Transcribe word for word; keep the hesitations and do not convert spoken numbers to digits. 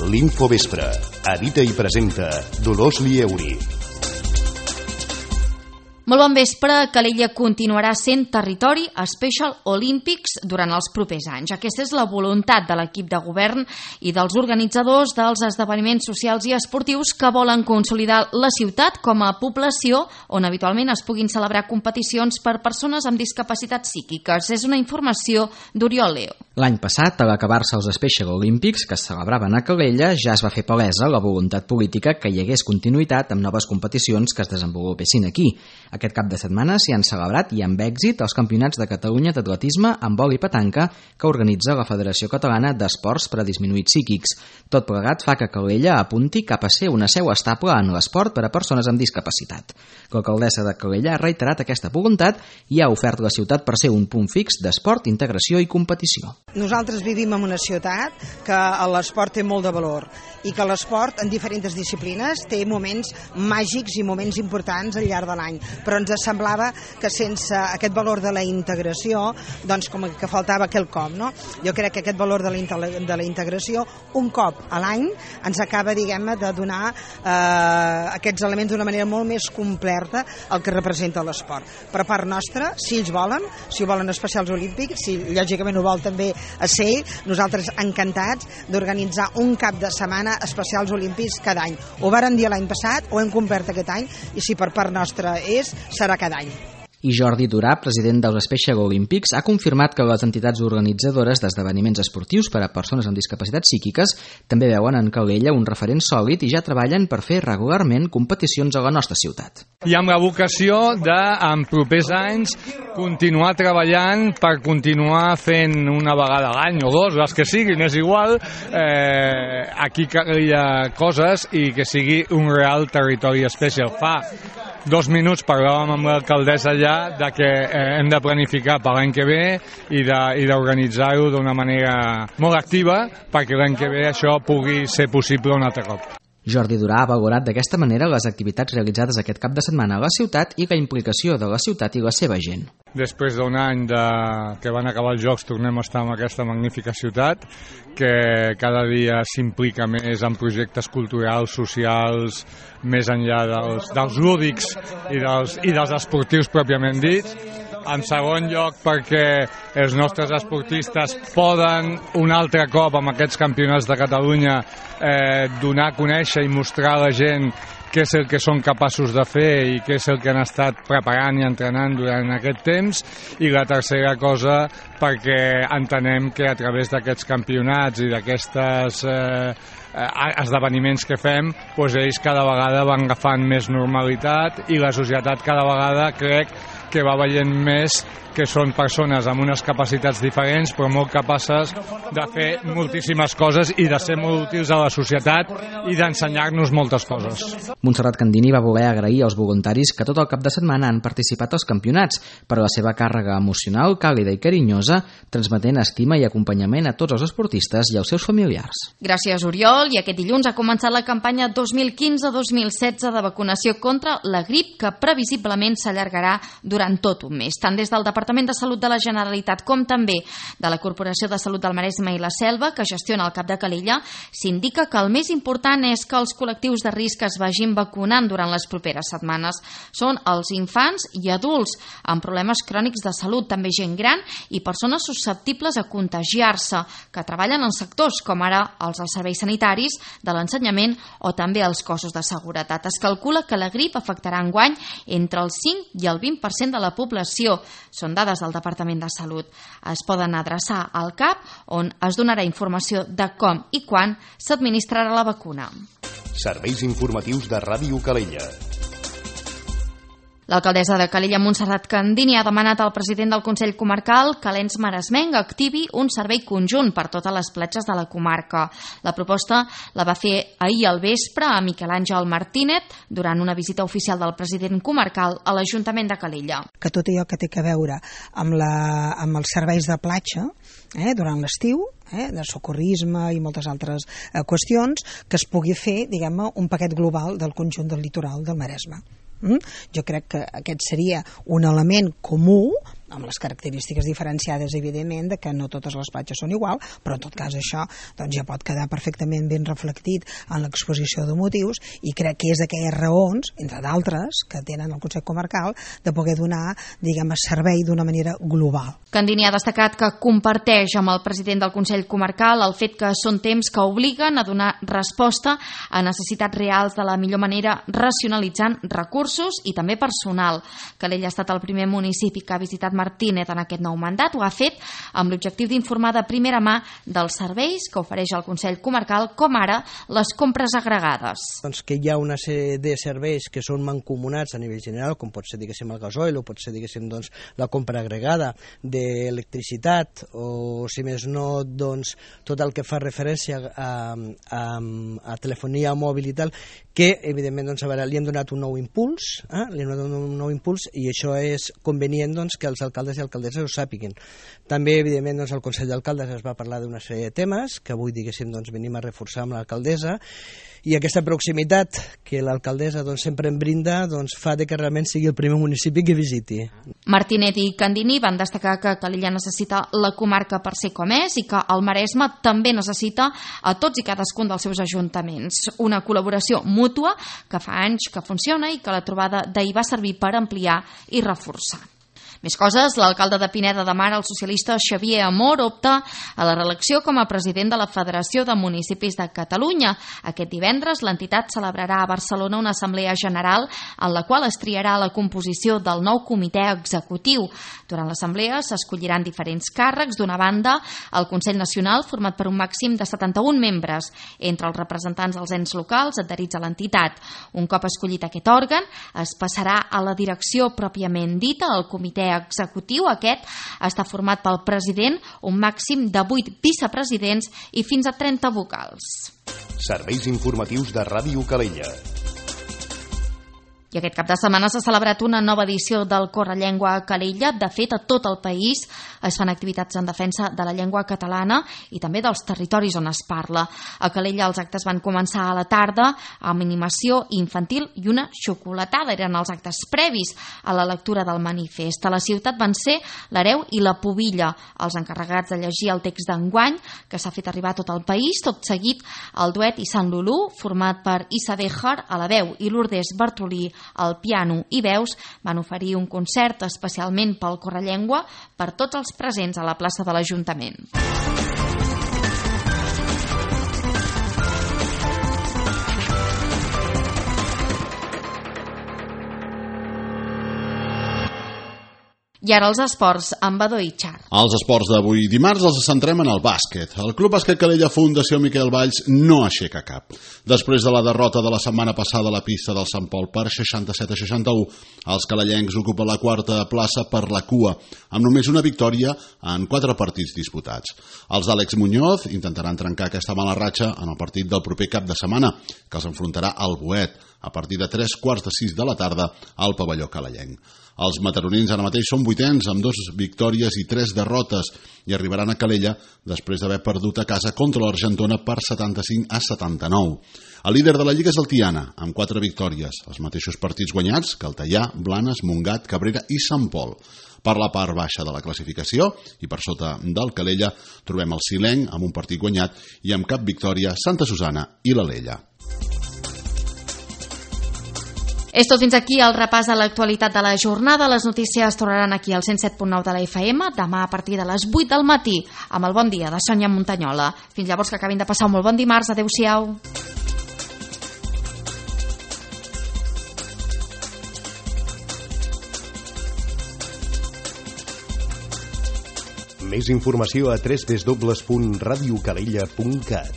L'Infovespre. Edita i presenta Dolors Lieuri. Molt bon vespre. Calella continuarà sent territori Special Olympics durant els propers anys. Aquesta és la voluntat de l'equip de govern i dels organitzadors dels esdeveniments socials i esportius que volen consolidar la ciutat com a població on habitualment es puguin celebrar competicions per persones amb discapacitats psíquiques. És una informació d'Oriol Leo. L'any passat, a l'acabar-se els Special Olympics que es celebraven a Calella, ja es va fer palesa la voluntat política que hi hagués continuïtat amb noves competicions que es desenvolupessin aquí. Aquest cap de setmana s'hi han celebrat i amb èxit els Campionats de Catalunya d'atletisme amb vol i petanca que organitza la Federació Catalana d'Esports per a Disminuïts Psíquics. Tot plegat fa que Calella apunti cap a ser una seu estable en l'esport per a persones amb discapacitat. L'alcaldessa de Calella ha reiterat aquesta voluntat i ha ofert la ciutat per ser un punt fix d'esport, integració i competició. Nosaltres vivim en una ciutat que l'esport té molt de valor i que l'esport en diferents disciplines té moments màgics i moments importants al llarg de l'any, però ens semblava que sense aquest valor de la integració, doncs com que faltava quelcom, no? Jo crec que aquest valor de la, de la integració, un cop a l'any, ens acaba, diguem-ne, de donar eh, aquests elements d'una manera molt més completa el que representa l'esport. Per part nostra, si ells volen, si ho volen especials olímpics, si lògicament ho vol també a ser, nosaltres encantats d'organitzar un cap de setmana especials olímpics cada any. Ho vàrem dir l'any passat, ho hem complert aquest any, i si per part nostra és, serà cada any. I Jordi Durà, president dels Special Olympics, ha confirmat que les entitats organitzadores d'esdeveniments esportius per a persones amb discapacitats psíquiques també veuen en Calella un referent sòlid i ja treballen per fer regularment competicions a la nostra ciutat. I amb la vocació de, en propers anys, continuar treballant per continuar fent una vegada a l'any o dos, les que siguin, és igual, eh, aquí hi ha coses i que sigui un real territori especial. Fa dos minuts parlàvem amb l'alcaldessa ja de que eh, hem de planificar per l'any que ve i d'organitzar-ho d'una manera molt activa perquè l'any que ve això pugui ser possible un altre cop. Jordi Durà ha valorat d'aquesta manera les activitats realitzades aquest cap de setmana a la ciutat i la implicació de la ciutat i la seva gent. Després d'un any de... que van acabar els Jocs tornem a estar en aquesta magnífica ciutat que cada dia s'implica més en projectes culturals, socials, més enllà dels, dels lúdics i dels, i dels esportius pròpiament dits. En segon lloc perquè els nostres esportistes poden un altre cop amb aquests campionats de Catalunya eh, donar a conèixer i mostrar a la gent què és el que són capaços de fer i què és el que han estat preparant i entrenant durant aquest temps, i la tercera cosa perquè entenem que a través d'aquests campionats i d'aquestes eh, esdeveniments que fem, doncs ells cada vegada van agafant més normalitat i la societat cada vegada crec que va veient més que són persones amb unes capacitats diferents però molt capaces de fer moltíssimes coses i de ser molt útils a la societat i d'ensenyar-nos moltes coses. Montserrat Candini va voler agrair als voluntaris que tot el cap de setmana han participat als campionats per la seva càrrega emocional càlida i carinyosa, transmetent estima i acompanyament a tots els esportistes i als seus familiars. Gràcies, Oriol. I aquest dilluns ha començat la campanya dos mil quinze dos mil setze de vacunació contra la grip que previsiblement s'allargarà durant tot un mes, tant des del Departament de Salut de la Generalitat com també de la Corporació de Salut del Maresme i la Selva, que gestiona el Cap de Calella. S'indica que el més important és que els col·lectius de risc es vagin vacunant durant les properes setmanes. Són els infants i adults amb problemes crònics de salut, també gent gran i persones susceptibles a contagiar-se, que treballen en sectors com ara els dels serveis sanitaris, de l'ensenyament o també els cossos de seguretat. Es calcula que la grip afectarà enguany entre el cinc i el vint per cent de la població. Són dades del Departament de Salut. Es poden adreçar al C A P, on es donarà informació de com i quan s'administrarà la vacuna. Serveis informatius de Ràdio Calella. L'alcaldessa de Calella, Montserrat Candini, ha demanat al president del Consell Comarcal que l'ens maresmenc activi un servei conjunt per totes les platges de la comarca. La proposta la va fer ahir al vespre a Miquel Àngel Martínez durant una visita oficial del president comarcal a l'Ajuntament de Calella. Que tot allò que té a veure amb, la, amb els serveis de platja eh, durant l'estiu, eh, de socorrisme i moltes altres eh, qüestions, que es pugui fer, diguem-ne, un paquet global del conjunt del litoral del Maresme. Mm? Jo crec que aquest seria un element comú amb les característiques diferenciades, evidentment, de que no totes les platges són igual, però en tot cas això doncs, ja pot quedar perfectament ben reflectit en l'exposició de motius, i crec que és d'aquelles raons, entre d'altres, que tenen el Consell Comarcal de poder donar, diguem, servei d'una manera global. Candini ha destacat que comparteix amb el president del Consell Comarcal el fet que són temps que obliguen a donar resposta a necessitats reals de la millor manera, racionalitzant recursos i també personal. Calella ha estat el primer municipi que ha visitat Martínez en aquest nou mandat. Ho ha fet amb l'objectiu d'informar de primera mà dels serveis que ofereix el Consell Comarcal, com ara les compres agregades. Doncs que hi ha una sèrie de serveis que són mancomunats a nivell general, com pot ser, diguéssim, el gasoil, o pot ser, diguéssim, doncs, la compra agregada d'electricitat, o, si més no, doncs, tot el que fa referència a, a, a telefonia mòbil i tal, que, evidentment, doncs, a veure, li hem donat un nou impuls, eh? li hem donat un nou impuls, i això és convenient, doncs, que els alcaldes i alcaldesses ho sàpiguen. També, evidentment, doncs, el Consell d'Alcaldes es va parlar d'una sèrie de temes que avui, diguéssim, doncs, venim a reforçar amb l'alcaldessa, i aquesta proximitat que l'alcaldessa doncs, sempre en brinda doncs, fa de que realment sigui el primer municipi que visiti. Martínez i Candini van destacar que Calella necessita la comarca per ser com és i que el Maresme també necessita a tots i cadascun dels seus ajuntaments. Una col·laboració mútua que fa anys que funciona i que la trobada d'ahir va servir per ampliar i reforçar. Més coses, l'alcalde de Pineda de Mar, el socialista Xavier Amor, opta a la reelecció com a president de la Federació de Municipis de Catalunya. Aquest divendres l'entitat celebrarà a Barcelona una assemblea general en la qual es triarà la composició del nou comitè executiu. Durant l'assemblea s'escolliran diferents càrrecs. D'una banda, el Consell Nacional, format per un màxim de setanta-un membres, entre els representants dels ens locals adherits a l'entitat. Un cop escollit aquest òrgan, es passarà a la direcció pròpiament dita, al comitè executiu. Aquest està format pel president, un màxim de vuit vicepresidents i fins a trenta vocals. Serveis informatius de Ràdio Calella. I aquest cap de setmana s'ha celebrat una nova edició del Correllengua a Calella. De fet, a tot el país es fan activitats en defensa de la llengua catalana i també dels territoris on es parla. A Calella els actes van començar a la tarda amb animació infantil i una xocolatada. Eren els actes previs a la lectura del manifest. A la ciutat van ser l'Hereu i la Pubilla, els encarregats de llegir el text d'enguany, que s'ha fet arribar a tot el país. Tot seguit, el duet i Sant Lulú, format per Issa Béjar a la veu i Lourdes Bartolí al piano i veus, van oferir un concert especialment pel Correllengua per tots els presents a la plaça de l'Ajuntament. I ara els esports amb Badó i Char. Els esports d'avui dimarts els centrem en el bàsquet. El Club Bàsquet Calella Fundació Miquel Valls no aixeca cap. Després de la derrota de la setmana passada a la pista del Sant Pol per seixanta-set a seixanta-u, els calellencs ocupen la quarta plaça per la cua, amb només una victòria en quatre partits disputats. Els d'Àlex Muñoz intentaran trencar aquesta mala ratxa en el partit del proper cap de setmana, que els enfrontarà al Boet a partir de tres quarts de sis de la tarda al pavelló calellenc. Els mataronins ara mateix són vuitens amb dues victòries i tres derrotes i arribaran a Calella després d'haver perdut a casa contra l'Argentona per setanta-cinc a setanta-nou. El líder de la Lliga és el Tiana, amb quatre victòries, els mateixos partits guanyats que el Teià, Blanes, Montgat, Cabrera i Sant Pol. Per la part baixa de la classificació i per sota del Calella trobem el Silenc amb un partit guanyat i amb cap victòria Santa Susana i l'Alella. És tot fins aquí el repàs a l'actualitat de la jornada. Les notícies tornaran aquí al cent set punt nou de la F M demà a partir de les vuit del matí amb el Bon Dia de Sònia Montanyola. Fins llavors, que acabin de passar un molt bon dimarts. Adéu-siau. Més informació a w w w punt radiocalella punt cat.